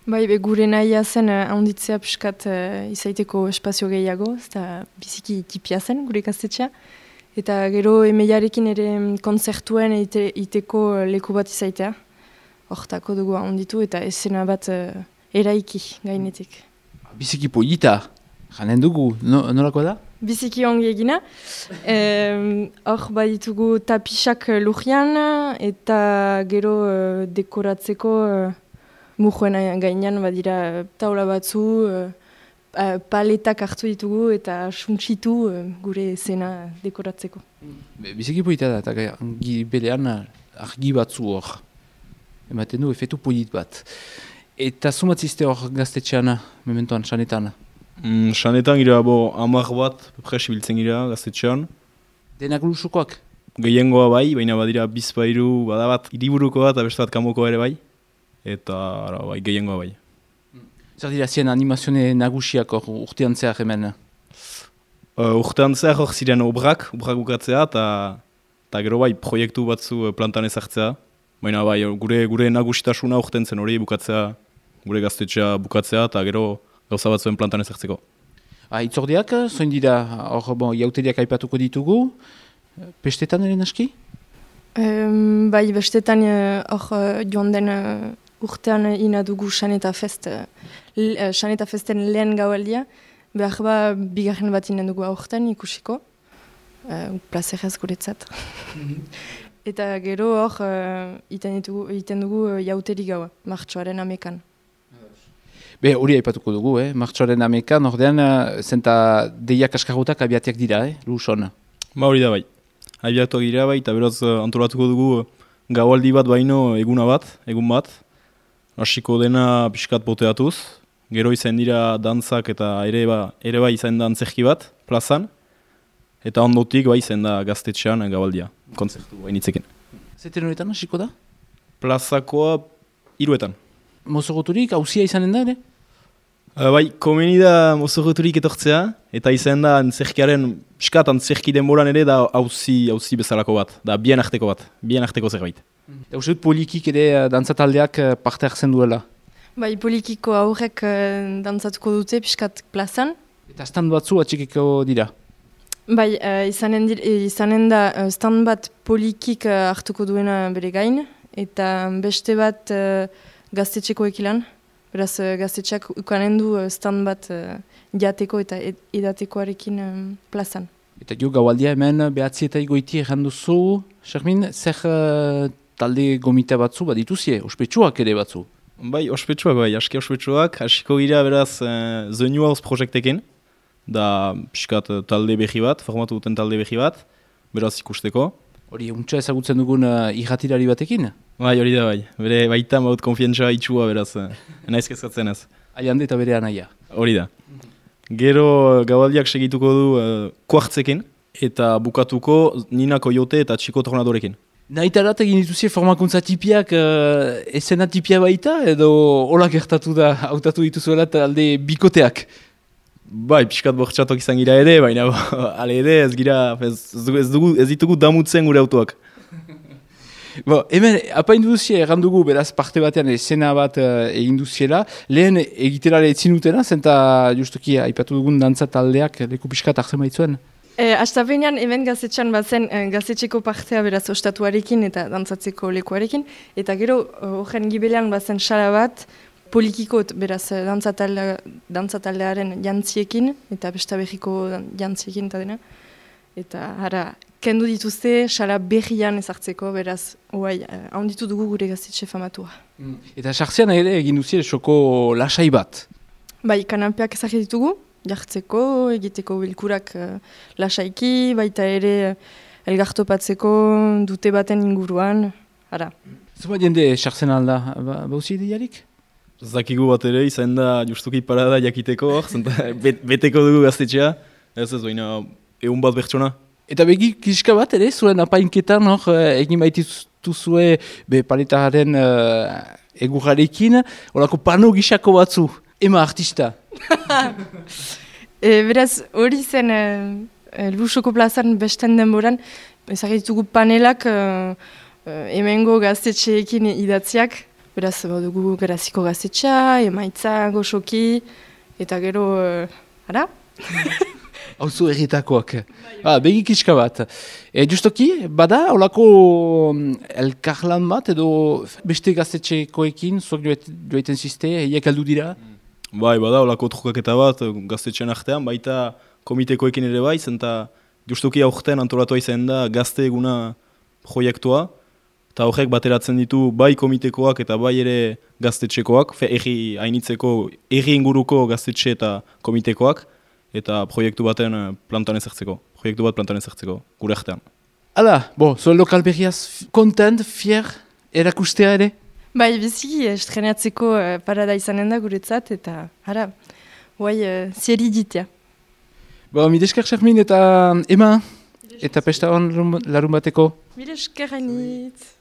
Bai, gure nahia zen handitzea piskat izaiteko espazio gehiago, eta biziki tipia zen gure gaztetxea. Eta gero emeiarekin ere konzertuen iteko leku bat izaitea. Hortako dugu handitu eta esena bat eraiki gainetik. Biziki polita, janen dugu, nolako da? Biziki ongi egina. Hor baditugu tapisak lurrian eta gero dekoratzeko mujuen gainean badira taula batzu, paletak hartu ditugu eta suntsitu gure esena dekoratzeko. Biziki polita da, eta argi berean argi batzu hor. Ematen du efetu polit bat. Eta zumatzizte hor gaztetxean, mementoan, sanetan? Sanetan gira, 10 bat, presibiltzen gira gaztetxean. Denak lusukoak? Gehiengoa bai, baina badira bizpairu, badabat hiriburuko bat, beste bat kanboko ere bai. Eta bai, gehiengoa bai. Zer dira zien animazione nagusiak hor urtean zehar hemen? Urtean zehar hor ziren obrak bukatzea, eta gero bai, proiektu batzu plantan ezartzea. Baina bai, gure nagusitasuna urten zen hori bukatzea, gure gaztetxea bukatzea, eta gero gauza batzuen plantan ezartzeko. Itzordiak, zoin dira, hor jauteriak aipatuko ditugu, pestetan ere naski? Bai, bestetan hor joan den urtean ina dugu Saneta Festen lehen gaualdia, behar bigarren bat inen dugu aurten ikusiko, plazerez guretzat. Eta gero hor iten dugu jauteri gaua, martxoaren 11an. Hori aipatuko dugu, martxoaren 11an, ordean zenta deiak askarrutak abiatiak dira, Luson? Hori da bai. Abiatuak dira bai, eta beraz antolatuko dugu gaualdi bat baino egun bat. Hasiko dena pixkat poteatuz. Gero izan dira dantzak eta ere bai izan da antzerki bat, plazan. Eta ondotik bai izan da gaztetxean gaualdia, konzertu bainitzekin. Zeten horretan hasiko da? Plazakoa 3etan. Mozorroturik, hauzia izanen da ere? Bai, komeni da mozorroturik etortzea, eta izan da piskat antzerki denboran ere da hauzi bezalako bat, da bien arteko zerbait. Eta uste dut polikik ere dantzataldeak parte hartzen duela? Bai, polikiko aurrek dantzatuko dute piskat plazan. Eta stand batzu atxikiko dira? Bai, izanen da stand bat polikik hartuko duena bere gain, eta beste bat gaztetxeko ekilan. Beraz, gaztetxeak ukanen du stand bat jateko eta edatekoarekin plazan. Eta jo gaualdia hemen behatzi eta igoiti erranduzu, Xermin, zer talde gomita batzu bat dituzie, ospetsuak ere batzu? Bai, ospetsuak bai, aski ospetsuak, hasiko gira beraz The New House projektekin, da piskat talde behi bat, formatu duten talde behi bat, beraz ikusteko. Hori, untsa ezagutzen dugun irratirari batekin? Bai, hori da bai, bere baita maut konfientza itxua beraz, naiz kezkatzen ez. Aiande eta bere anaia. Hori da. Gero gaualdiak segituko du kuartzekin, eta bukatuko Ninako Jote eta Txiko Tornadorekin. Nahitarat egin dituzie formakuntza tipiak esena tipia baita, edo hola gertatu da, hautatu dituzuela talde bikoteak? Bai, pixkat bortxatok izan gira ere, baina ale ere ez ditugu damutzen gure autoak. Hemen, apain duzie errandugu beraz parte batean esena bat egin duziela, lehen egiterare etzin dutena, zenta justuki aipatu dugun dantza taldeak leku pixkat hartzen baitzuen? Astapenean hemen gaztetxean bazen gaztetxeko partea beraz ostatuarekin eta dantzatzeko lekuarekin, eta gero horren gibelean bazen sala bat, polikikot beraz dantzataldearen jantziekin eta bestabehiko jantziekin eta dena. Eta hara, kendu dituzte sala berrian ezartzeko, beraz, handitu dugu gure gaztetxe famatua. Eta sartzean ere egin duzie soko lasai bat? Bai, kananpeak ezarri ditugu, jartzeko, egiteko bilkurak lasaiki, baita ere elgartopatzeko dute baten inguruan, hara. Zuma jende sartzen alda, bauzi ideiarik? Zakigu bat ere, izan da justuki parada jakiteko, beteko dugu gaztetxea, ez baina egun bat bertsona. Eta begi kiska bat ere, zuen apainketan egin baituzue paletaren egurrarekin, horako pano gisako batzu, ema artista. Beraz, hori zen Lusoko plazan besten denboran, ezagitugu panelak hemengo gaztetxeekin idatziak, Beraz, dugu Garaziko gaztetxea, emaitza, goxoki, eta gero, ara? Hauzu erritakoak. Begikizka bat. Justoki, bada, holako elkarlan bat, edo beste gaztetxekoekin, zuak joaiten ziste, eiek aldu dira? Bai, bada, holako trukaketa bat, gaztetxean artean, baita komitekoekin ere bai, zenta justuki aurten antolatua izan da gazte eguna proiektua, eta horrek bateratzen ditu bai komitekoak eta bai ere gaztetxekoak, erri hainitzeko, erri inguruko gaztetxe eta komitekoak, eta proiektu baten plantan ezertzeko, gure artean. Hala, zuen lokal berriaz kontent, fier, erakustea ere? Bai, biziki, estrenatzeko parada izanen da guretzat, eta ara, guai, zieri ditea. Mideskar Xarmin eta Ema, eta pesta hon larun bateko. Mideskar hainitz.